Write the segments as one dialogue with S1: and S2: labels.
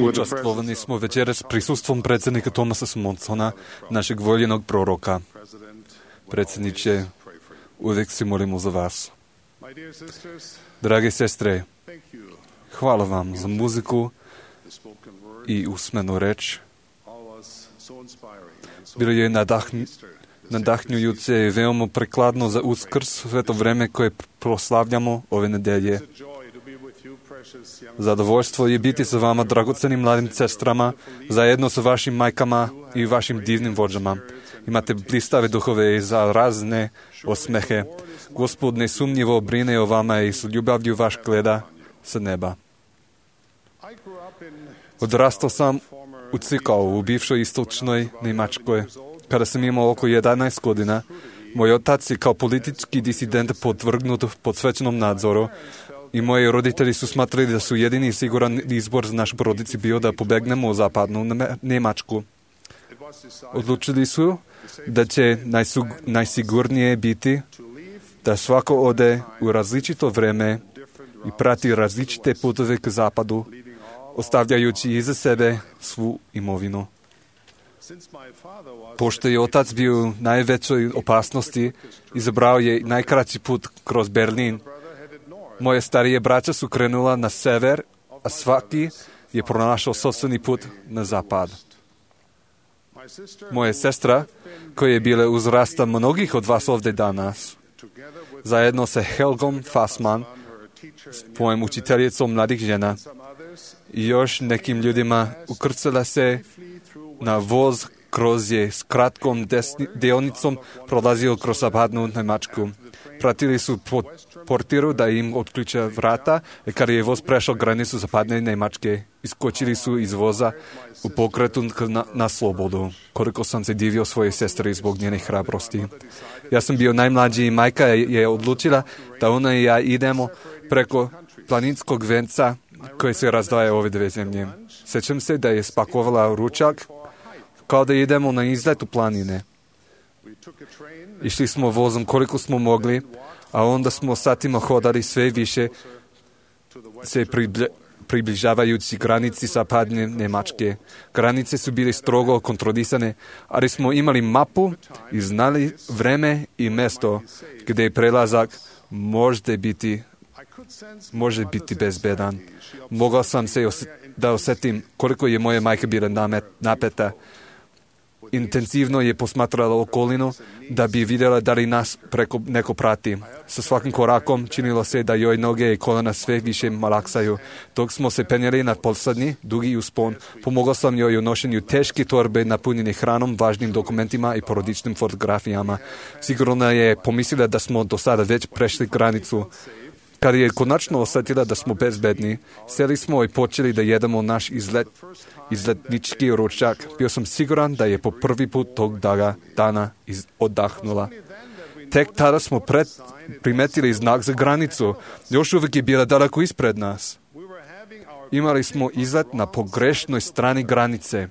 S1: Počastvovani smo večeras prisustvom predsjednika Thomasa Smondsona, našeg voljenog proroka. Predsjedniče, uvijek se molimo za vas. Drage sestre, hvala vam za muziku i usmenu reč. Bilo je nadahnjujuće i veoma prikladno za Uskrs, sve to vreme koje proslavljamo ove nedelje. Zadovoljstvo je biti sa vama, dragocenim mladim sestrama, zajedno sa vašim majkama i vašim divnim vođama. Imate blistave duhove i za razne osmehe. Gospod nesumnjivo brine o vama i s ljubavlju vaš gleda sa neba. Odrastao sam u Cikau, u bivšoj istočnoj Njemačkoj. Kada sam imao oko 11 godina, moj otac je kao politički disident podvrgnut pod svećenom nadzoru i moji roditelji su smatrali da su jedini siguran izbor za našu porodici bio da pobegnemo u zapadnu Njemačku. Odlučili su da će najsigurnije biti da svako ode u različito vreme i prati različite putove k zapadu, ostavljajući iza sebe svu imovinu. Pošto je otac bio u najvećoj opasnosti, izabrao je najkraći put kroz Berlin. Moje starije braća su krenula na sever, a svaki je pronašao sopstveni put na zapad. Moja sestra, koja je bila uzrasta mnogih od vas ovdje danas, zajedno sa Helgom Fassman, svojom učiteljicom mladih žena, i još nekim ljudima ukrcala se na voz kroz je s kratkom dionicom prolazio kroz zapadnu Njemačku. Pratili su portiru da im otključa vrata i kada je voz prešao granicu zapadne Njemačke, iskočili su iz voza u pokretu na slobodu. Koliko sam se divio svojoj sestri zbog njene hrabrosti. Ja sam bio najmlađi i majka je odlučila da ona i ja idemo preko planinskog venca koji se razdvaja ove dve zemlje. Sjećam se da je spakovala ručak kao da idemo na izlet u planine. Išli smo vozom koliko smo mogli, a onda smo satima hodali sve više se približavajući granici zapadne Njemačke. Granice su bile strogo kontrolisane, ali smo imali mapu i znali vreme i mjesto gdje je prelazak može biti bezbedan. Mogao sam se da osjetim koliko je moja majka bila napeta. Intenzivno je posmatrala okolinu da bi vidjela da li nas neko prati. Sa svakim korakom činilo se da joj noge i kolena sve više malaksaju. Dok smo se penjeli na posljednji, dugi uspon, pomogao sam joj u nošenju teške torbe napunjene hranom, važnim dokumentima i porodičnim fotografijama. Sigurno je pomislila da smo do sada već prešli granicu. Kad je konačno osjetila da smo bezbedni, sjeli smo i počeli da jedemo naš izletnički ručak. Bio sam siguran da je po prvi put tog dana oddahnula. Tek tada smo primetili znak za granicu. Još uvijek je bila daleko ispred nas. Imali smo izlet na pogrešnoj strani granice.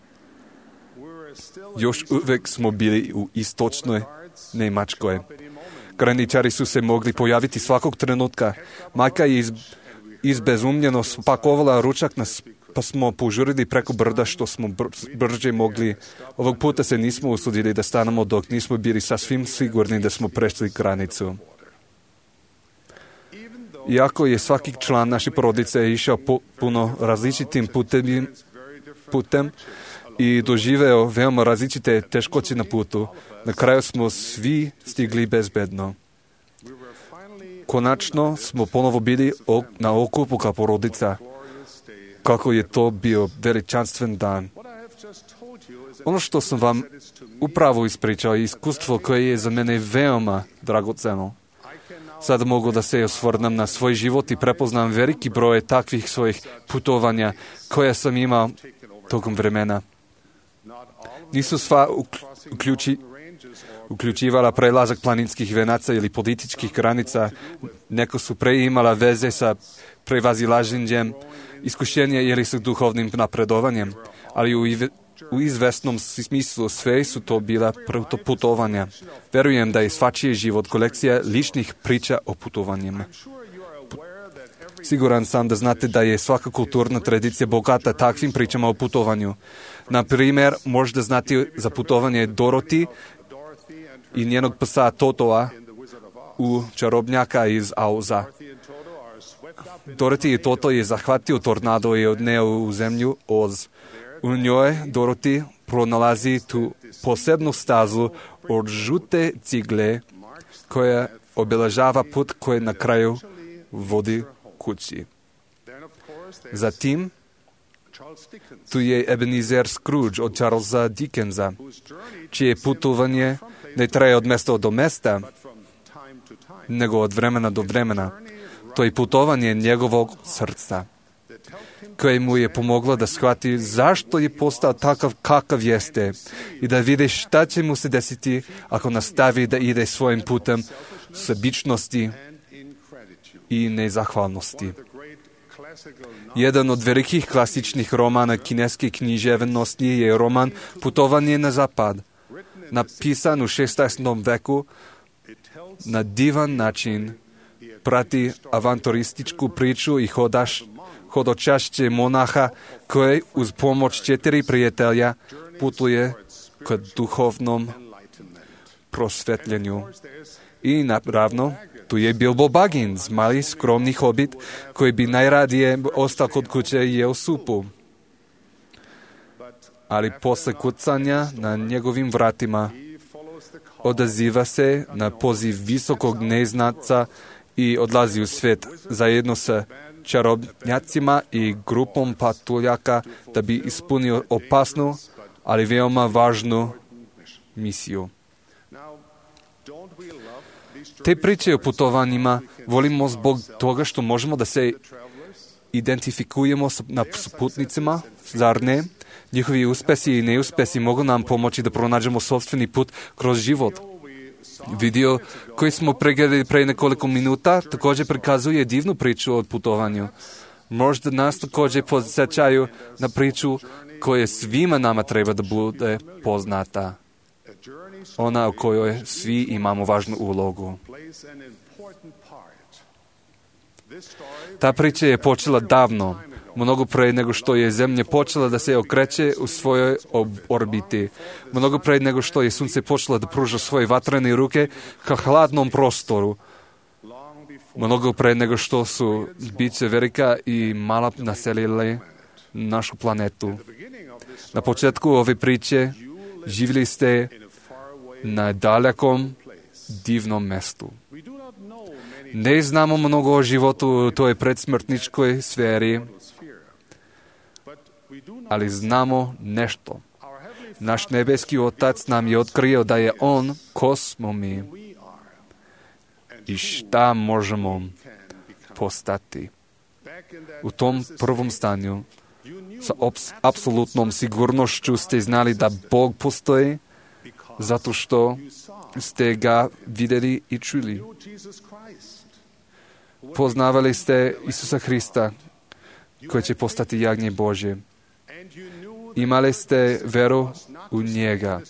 S1: Još uvijek smo bili u istočnoj Njemačkoj. Graničari su se mogli pojaviti svakog trenutka. Majka je izbezumljeno spakovala ručak pa smo požurili preko brda što smo brže mogli. Ovog puta se nismo usudili da stanemo dok nismo bili sasvim sigurni da smo prešli granicu. Iako je svaki član naše porodice išao puno različitim putem i doživeo veoma različite teškoće na putu, na kraju smo svi stigli bezbedno. Konačno smo ponovo bili na okupu kao porodica. Kako je to bio veličanstven dan. Ono što sam vam upravo ispričao je iskustvo koje je za mene veoma dragoceno. Sad mogu da se osvrnem na svoj život i prepoznam veliki broj takvih svojih putovanja koje sam imao tokom vremena. Nisu sva uključivala prelazak planinskih venaca ili političkih granica. Neko su imala veze sa prevazilaženjem iskušenja ili sa duhovnim napredovanjem. Ali u izvesnom smislu sve su to bila putovanja. Verujem da je svačiji život kolekcija ličnih priča o putovanjima. Siguran sam da znate da je svaka kulturna tradicija bogata takvim pričama o putovanju. Na primjer, možda znate za putovanje Dorothy i njenog psa Totoa u Čarobnjaka iz Auza. Dorothy i Toto je zahvatio tornado i odneo u zemlju Oz. U njoj Dorothy pronalazi tu posebnu stazu od žute cigle koja obilježava put koji na kraju vodi kući. Zatim, tu je Ebenezer Scrooge od Charlesa Dickensa, čije putovanje ne traje od mjesta do mjesta, nego od vremena do vremena. To je putovanje njegovog srca, koje mu je pomoglo da shvati zašto je postao takav kakav jeste i da vidi šta će mu se desiti ako nastavi da ide svojim putem sebičnosti i nezahvalnosti. Jedan od velikih klasičnih romana kineske književnosti je roman Putovanje na zapad, napisan u 16. veku. Na divan način prati avanturističku priču i hodočašće monaha koji uz pomoć 4 prijatelja putuje k duhovnom prosvetljenju. I naravno, tu je Bilbo Baggins, mali skromni hobit koji bi najradije ostao kod kuće i jeo supu. Ali posle kucanja na njegovim vratima odaziva se na poziv visokog neznatca i odlazi u svijet zajedno sa čarobnjacima i grupom patuljaka da bi ispunio opasnu, ali veoma važnu misiju. Te priče o putovanjima volimo zbog toga što možemo da se identifikujemo s putnicima, zar ne? Njihovi uspesi i neuspesi mogu nam pomoći da pronađemo sopstveni put kroz život. Video koji smo pregledali pre nekoliko minuta također prikazuje divnu priču o putovanju. Možda nas također podsjećaju na priču koja svima nama treba da bude poznata. Ona u kojoj svi imamo važnu ulogu. Ta priča je počela davno, mnogo pre nego što je Zemlja počela da se okreće u svojoj orbiti, mnogo pre nego što je Sunce počelo da pruža svoje vatrene ruke ka hladnom prostoru, mnogo pre nego što su biće velika i mala naselile našu planetu. Na početku ove priče živjeli ste na dalekom, divnom mestu. Ne znamo mnogo o životu u toj predsmrtničkoj sferi, ali znamo nešto. Naš nebeski Otac nam je otkrio da je On ko smo mi i šta možemo postati. U tom prvom stanju sa apsolutnom sigurnošću ste znali da Bog postoji zato što ste ga vidjeli i čuli. Poznavali ste Isusa Hrista koji će postati jagnje Božje. Imali ste veru u njega.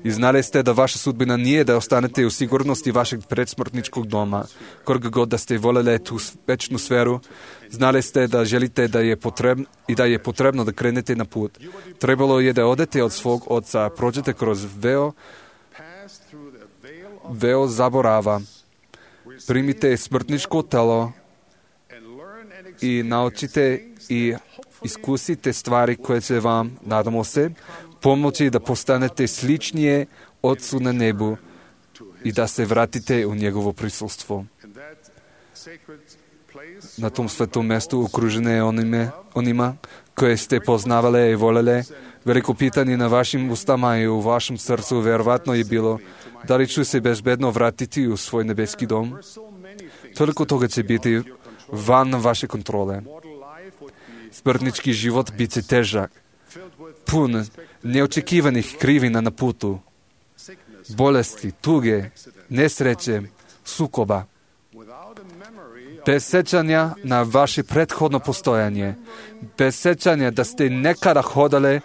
S1: I znali ste da vaša sudbina nije da ostanete u sigurnosti vašeg predsmrtničkog doma. Koliko god da ste voljeli tu večnu sferu, znali ste da želite da je potrebno da krenete na put. Trebalo je da odete od svog oca, prođete kroz veo zaborava, primite smrtničko telo i naučite i iskusite stvari koje će vam, nadamo se, pomoći da postanete sličnije Otcu na nebu i da se vratite u njegovo prisustvo. Na tom svetom mjestu okružene onima koje ste poznavale i voljele, veliko pitanje na vašim ustama i u vašem srcu vjerovatno je bilo da li ću se bezbedno vratiti u svoj nebeski dom. Toliko toga će biti van vaše kontrole. Smrtnički život bit će težak, pun neočekivanih krivina na putu, bolesti, tuge, nesreće, sukoba. Bez sećanja na vaše prethodno postojanje, bez sećanja da ste nekada hodali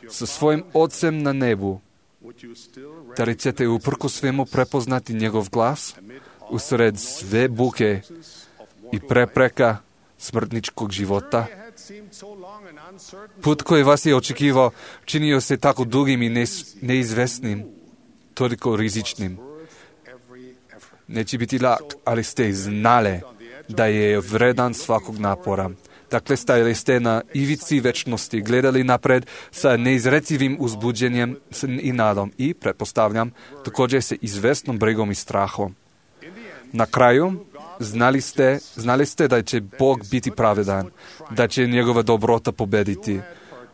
S1: sa svojim Ocem na nebu, da li ćete uprkos svemu prepoznati njegov glas usred sve buke i prepreka smrtničkog života. Put koji vas je očekivao činio se tako dugim i neizvesnim, toliko rizičnim. Neće biti lak, ali ste znali da je vredan svakog napora. Dakle, stajali ste na ivici večnosti, gledali napred sa neizrecivim uzbuđenjem i nadom i, pretpostavljam, također sa izvesnom brigom i strahom. Na kraju, znali ste da će Bog biti pravedan, da će njegova dobrota pobediti.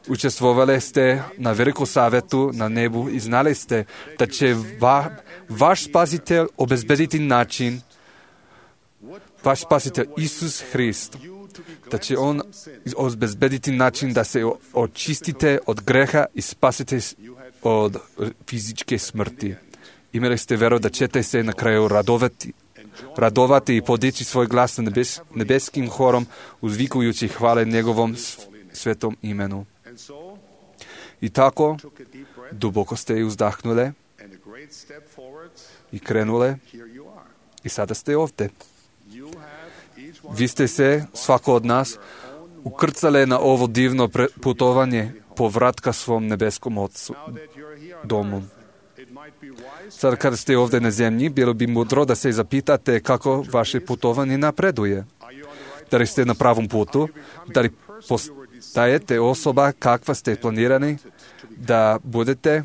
S1: Učestvovali ste na velikom savjetu na nebu i znali ste da će vaš spasitelj obezbediti način, vaš spasitelj Isus Hrist, da će on obezbediti način da se očistite od greha i spasite od fizičke smrti. Imali ste veru da ćete se na kraju radovati i podići svoj glas na nebeskim horom, uzvikujući hvale njegovom svetom imenu. I tako, duboko ste uzdahnuli i krenule i sada ste ovdje. Vi ste se, svako od nas, ukrcali na ovo divno putovanje povratka svom nebeskom Otcu, domu. Sad kada ste ovdje na zemlji, bilo bi mudro da se zapitate kako vaše putovanje napreduje. Da li ste na pravom putu? Da li postajete osoba kakva ste planirani da budete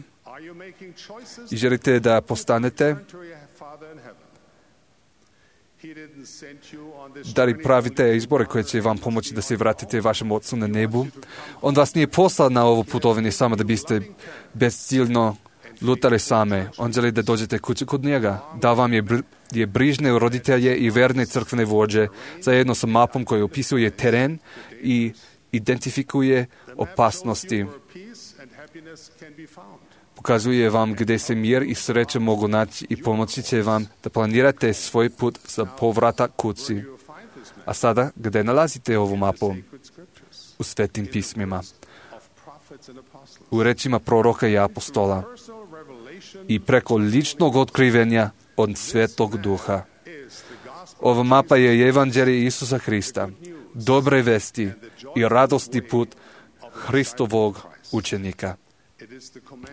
S1: i želite da postanete? Da li pravite izbore koje će vam pomoći da se vratite vašem Otcu na nebu? On vas nije poslao na ovo putovanje samo da biste bezciljno lutali same. On želi da dođete kući kod njega. Da vam je brižne roditelje i verne crkvene vođe zajedno sa mapom koji opisuje teren i identifikuje opasnosti. Pokazuje vam gdje se mir i sreća mogu naći i pomoći će vam da planirate svoj put za povratak kući. A sada, gdje nalazite ovu mapu? U svetim pismima. U rečima proroka i apostola. I preko ličnog otkrivenja od Svetog Duha. Ova mapa je evanđelje Isusa Hrista, dobre vesti i radosni put Hristovog učenika.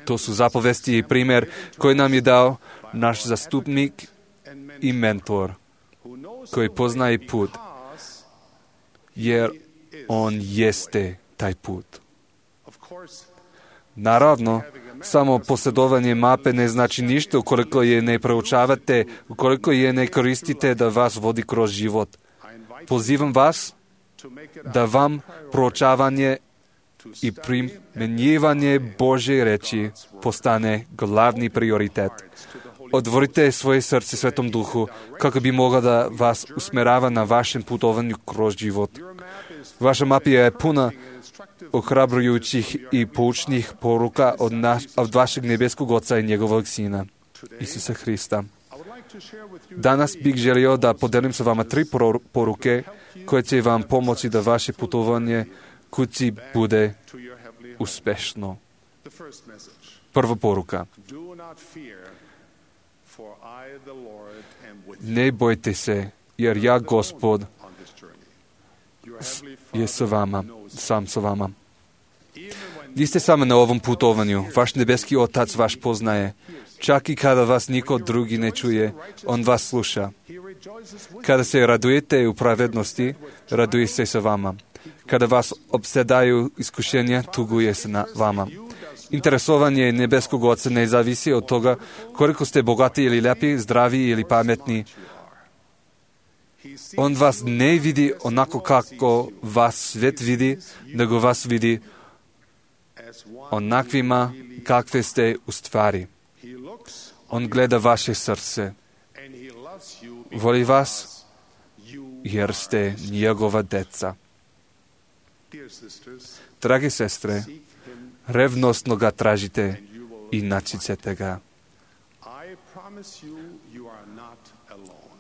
S1: To su zapovesti i primjer koji nam je dao naš zastupnik i mentor, koji poznaje put, jer on jeste taj put. Naravno, samo posjedovanje mape ne znači ništa ukoliko je ne proučavate, ukoliko je ne koristite da vas vodi kroz život. Pozivam vas da vam proučavanje i primjenjivanje Božje reči postane glavni prioritet. Otvorite svoje srce Svetom Duhu kako bi mogao da vas usmerava na vašem putovanju kroz život. Vaša mapa je puna ohrabrujućih i poučnih poruka od vašeg nebeskog Oca i njegovog Sina, Isusa Hrista. Danas bih želio da podelim sa vama 3 poruke koje će vam pomoći da vaše putovanje kući bude uspešno. Prva poruka. Ne bojte se, jer ja, Gospod, je sa vama, sam sa vama. Niste sami na ovom putovanju. Vaš nebeski Otac vaš poznaje. Čak i kada vas niko drugi ne čuje, on vas sluša. Kada se radujete u pravednosti, raduje se sa vama. Kada vas opsedaju iskušenja, tuguje se na vama. Interesovanje nebeskog Oca ne zavisi od toga koliko ste bogati ili lijepi, zdravi ili pametni. On vas ne vidi onako kako vas svijet vidi, nego vas vidi onakvima kakve ste u stvari. On gleda vaše srce. Voli vas jer ste njegova deca. Drage sestre, revnosno ga tražite i naći ćete ga.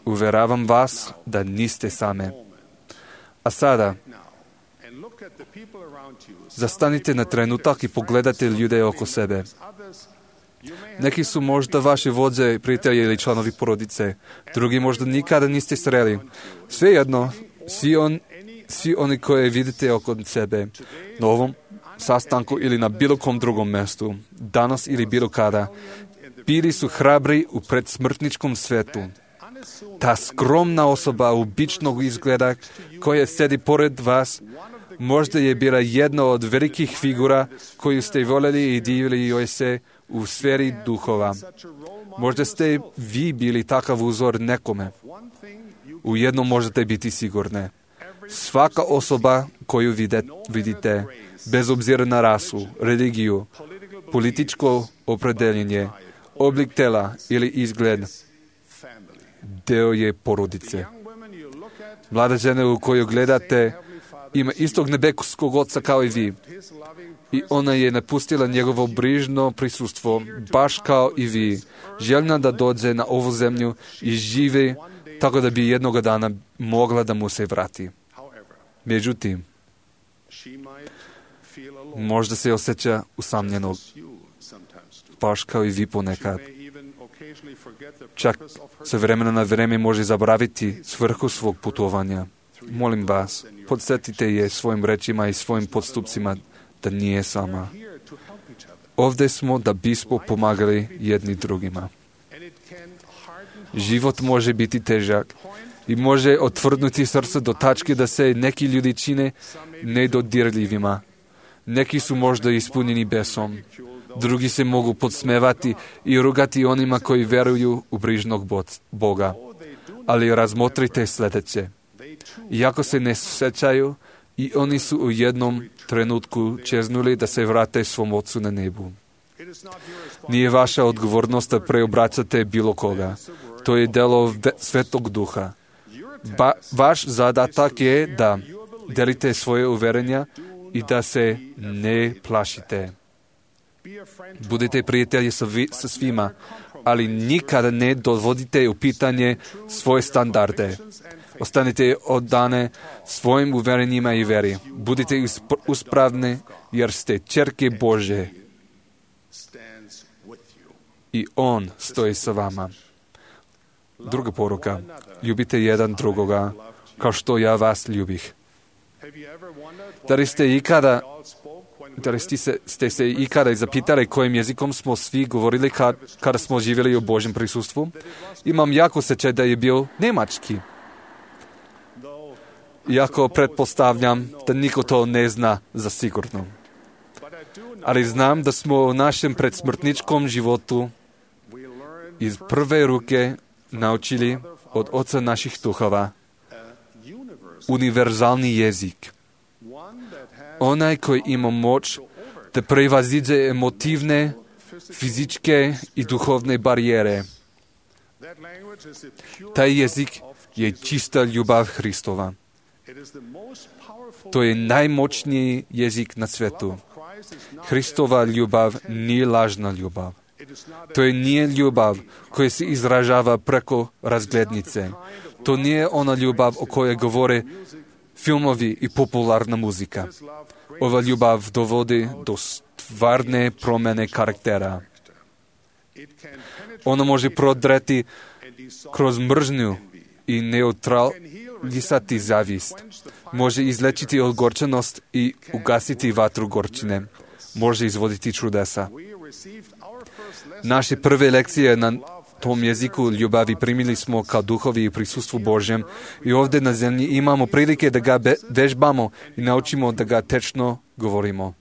S1: Uveravam vas da niste same. A sada, zastanite na trenutak i pogledajte ljude oko sebe. Neki su možda vaše vođe, prijatelji ili članovi porodice. Drugi možda nikada niste sreli. Svejedno, svi oni koje vidite oko sebe na ovom sastanku ili na bilo kom drugom mjestu, danas ili bilo kada, bili su hrabri u predsmrtničkom svetu. Ta skromna osoba običnog izgleda koja sedi pored vas, možda je bila jedna od velikih figura koju ste voljeli i divili joj se u sferi duhova. Možda ste vi bili takav uzor nekome. U jednom možete biti sigurne. Svaka osoba koju vidite, bez obzira na rasu, religiju, političko opredeljenje, oblik tela ili izgled, deo je porodice. Mlada žena u koju gledate ima istog nebeskog oca kao i vi. I ona je napustila njegovo brižno prisustvo, baš kao i vi, željna da dođe na ovu zemlju i živi tako da bi jednoga dana mogla da mu se vrati. Međutim, možda se osjeća usamljenog, baš kao i vi ponekad. Čak se vremena na vreme može zaboraviti svrhu svog putovanja. Molim vas, podsjetite je svojim rečima i svojim postupcima da nije sama. Ovdje smo da bismo pomagali jedni drugima. Život može biti težak i može otvrdnuti srce do tačke da se neki ljudi čine nedodirljivima. Neki su možda ispunjeni besom. Drugi se mogu podsmevati i rugati onima koji veruju u brižnog Boga. Ali razmotrite sljedeće. Iako se ne sjećaju, i oni su u jednom trenutku čeznuli da se vrate svom Ocu na nebu. Nije vaša odgovornost da preobraćate bilo koga. To je delo Svetog Duha. Vaš zadatak je da delite svoje uverenja i da se ne plašite. Budite prijatelji sa svima, ali nikada ne dovodite u pitanje svoje standarde. Ostanite oddane svojim uverenjima i veri. Budite uspravni jer ste ćerke Božje. I On stoji sa vama. Druga poruka. Ljubite jedan drugoga kao što ja vas ljubih. Da li ste se ikada zapitali kojim jezikom smo svi govorili kada smo živjeli u Božjem prisustvu? Imam jako osjećaj da je bio njemački. Iako pretpostavljam da niko to ne zna za sigurno. Ali znam da smo u našem predsmrtničkom životu iz prve ruke naučili od Oca naših duhova univerzalni jezik. Onaj koji ima moć da prevaziđe emotivne, fizičke i duhovne barijere. Taj jezik je čista ljubav Hristova. To je najmoćniji jezik na svijetu. Hristova ljubav nije lažna ljubav. To je nije ljubav koja se izražava preko razglednice. To nije ona ljubav o kojoj govore filmovi i popularna muzika. Ova ljubav dovodi do stvarne promjene karaktera. Ona može prodreti kroz mržnju i neutralisati zavist. Može izlečiti ogorčenost i ugasiti vatru gorčine. Može izvoditi čudesa. Naše prve lekcije na tom jeziku ljubavi primili smo kao duhovi u prisustvu Božjem i ovdje na zemlji imamo prilike da ga vežbamo i naučimo da ga tečno govorimo.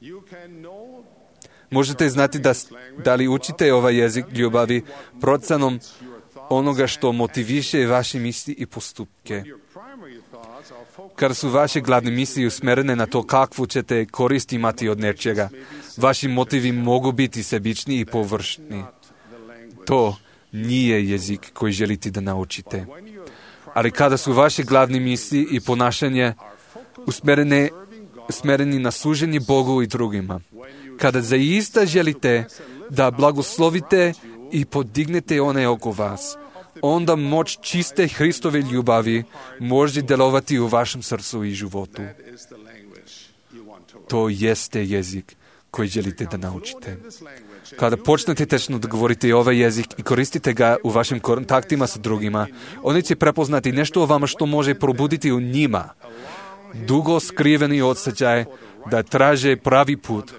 S1: Možete znati da li učite ovaj jezik ljubavi procenom onoga što motiviše vaše misli i postupke. Kada su vaše glavne misli usmjerene na to kakvu ćete korist imati od nečega, vaši motivi mogu biti sebični i površni. To nije jezik koji želite da naučite. Ali kada su vaše glavne misli i ponašanje usmjereni na služenje Bogu i drugima, kada zaista želite da blagoslovite i podignete one oko vas, onda moć čiste Hristove ljubavi može djelovati u vašem srcu i životu. To jeste jezik koji želite da naučite. Kada počnete tečno da govorite ovaj jezik i koristite ga u vašim kontaktima sa drugima, oni će prepoznati nešto o vama što može probuditi u njima dugo skriveni osjećaj da traže pravi put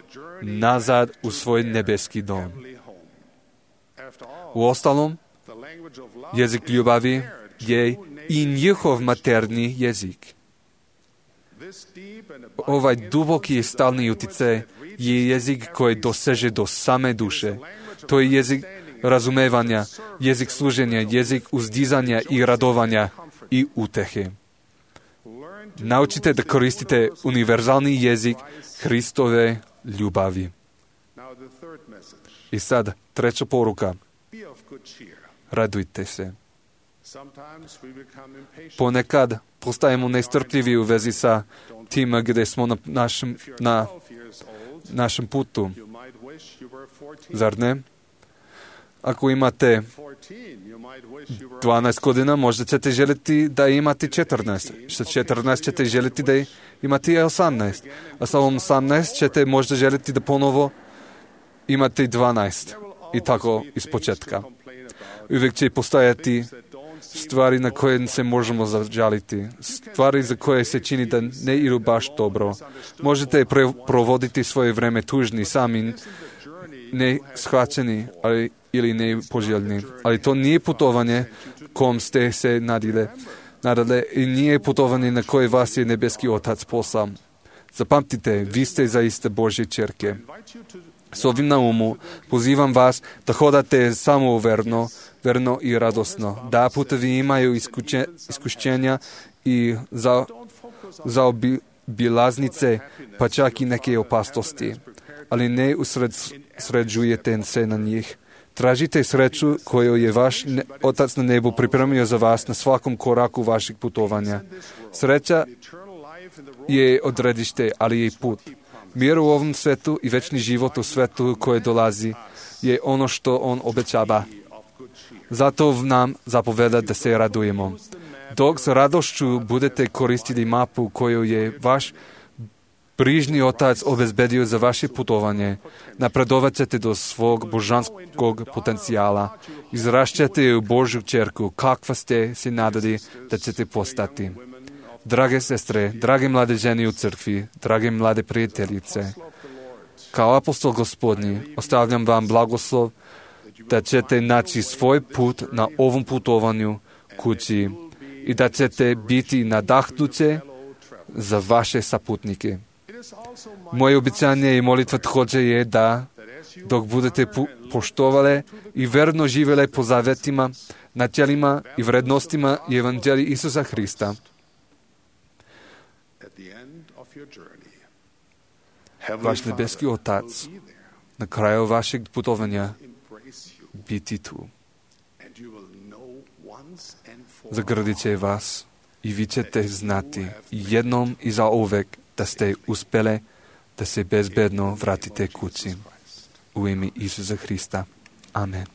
S1: nazad u svoj nebeski dom. Uostalom, jezik ljubavi je i njihov materni jezik. Ovaj duboki i stalni utjecaj je jezik koji doseže do same duše. To je jezik razumevanja, jezik služenja, jezik uzdizanja i radovanja i utehe. Naučite da koristite univerzalni jezik Hristove ljubavi. I sad, treća poruka. Radujte se. Ponekad postajemo nestrpljivi u vezi sa tim gdje smo na našem putu. Zar ne? Ako imate 12 godina, možda ćete željeti da imate 14. Sa 14 ćete željeti da imate 18. A sa 18 ćete možda željeti da ponovo imate 12. I tako iz početka. Uvijek će postojati stvari na koje se možemo zažaliti. Stvari za koje se čini da ne idu baš dobro. Možete provoditi svoje vreme tužni, sami, ne shvaćeni ili ne poželjni. Ali to nije putovanje kom ste se nadale i nije putovanje na koje vas je nebeski Otac poslao. Zapamtite, vi ste zaista Božje ćerke. S ovim na umu pozivam vas da hodate samo verno i radosno. Da, putevi imaju iskušenja i zaobilaznice, pa čak i neke opasnosti. Ali ne usređujete se na njih. Tražite sreću koju je vaš Otac na nebu pripremio za vas na svakom koraku vašeg putovanja. Sreća je odredište, ali je i put. Mir u ovom svetu i večni život u svetu koje dolazi je ono što on obećava. Zato nam zapoveda da se radujemo. Dok s radošću budete koristili mapu koju je vaš brižni Otac obezbedio za vaše putovanje, napredovat ćete do svog božanskog potencijala. Izrašćete u Božju ćerku, kakva ste se nadali da ćete postati. Drage sestre, drage mlade žene u crkvi, drage mlade prijateljice, kao apostol Gospodnji ostavljam vam blagoslov da ćete naći svoj put na ovom putovanju kući i da ćete biti nadahnuće za vaše saputnike. Moje obećanje i molitva također je da dok budete poštovali i verno živjeli po zavetima, načelima i vrednostima Evanđelja Isusa Hrista, vaš nebeski Otac na kraju vašeg putovanja biti tu. Zagradit će vas i vi ćete znati jednom i zauvek da ste uspjeli da se bezbedno vratite kući. U ime Isusa Hrista. Amen.